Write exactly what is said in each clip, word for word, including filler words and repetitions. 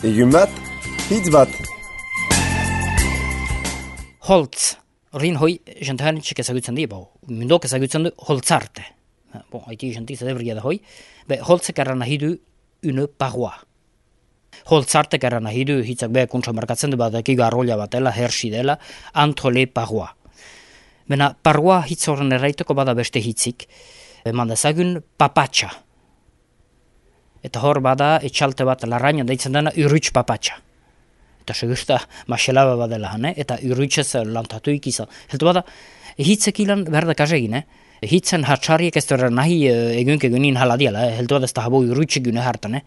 Egun bat, hitz bat. Holtz, horrein hoi, jentaren txek ezagutzen di, bo, mundok ezagutzen du holtzarte. Bon, haiti jenti zedebriga da hoi, be, holtzek erran nahi du une paroi. Holtzartek erran nahi du, hitzak beha kuntza markatzen du bat, ekiga arrolla batela, hersi dela, antole paroi. Bena, paroi hitz horren erraiteko bada beste hitzik, eman dezagun papatxa. Eta hor bada, etxalte bat larraina deitzen dena urruts papatxa. Eta segurta maselaba badela, ne? Eta urrutsez lantatu ikizan. Heltu bada, hitzek ilan behar da kasegin, eh? Hitzen hatxariek ez dara nahi egunke egunin haladiala, eh? Heltu bada ez da habo urrutsik gune hartan, eh?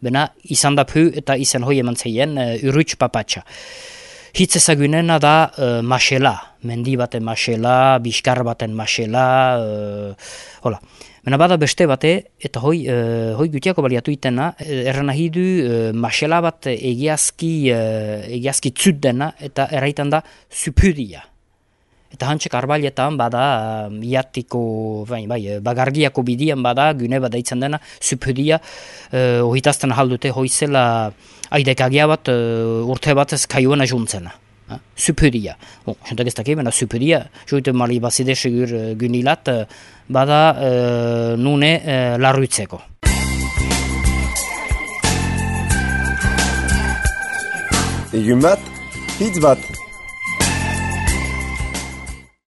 Bena, izan da pu eta izan hoi eman zeien uh, urruts papatxa. Hitz ezagunena da uh, masela, mendi baten masela, biskar baten masela, uh, hola. Mena bada beste bate, eta hoi, uh, hoi gutiako baliatu itena, erran nahi du uh, masela bat egiazki, uh, egiazki tzut dena, eta erraitan da supudia. Eta hantzek arbailetan bada uh, iatiko, bai, bai, bagargiako bidian bada, gune bada itzen dena, supudia, uh, ohitazten haldute hoizela aidekagia bat uh, urte bat ez kaiuena juntzena. Uh, supudia. Bon, jentak ez dakimena, supudia, joite mali bazide segur uh, gunilat, uh, bada uh, nune uh, larruitzeko. Egun bat, hitz bat.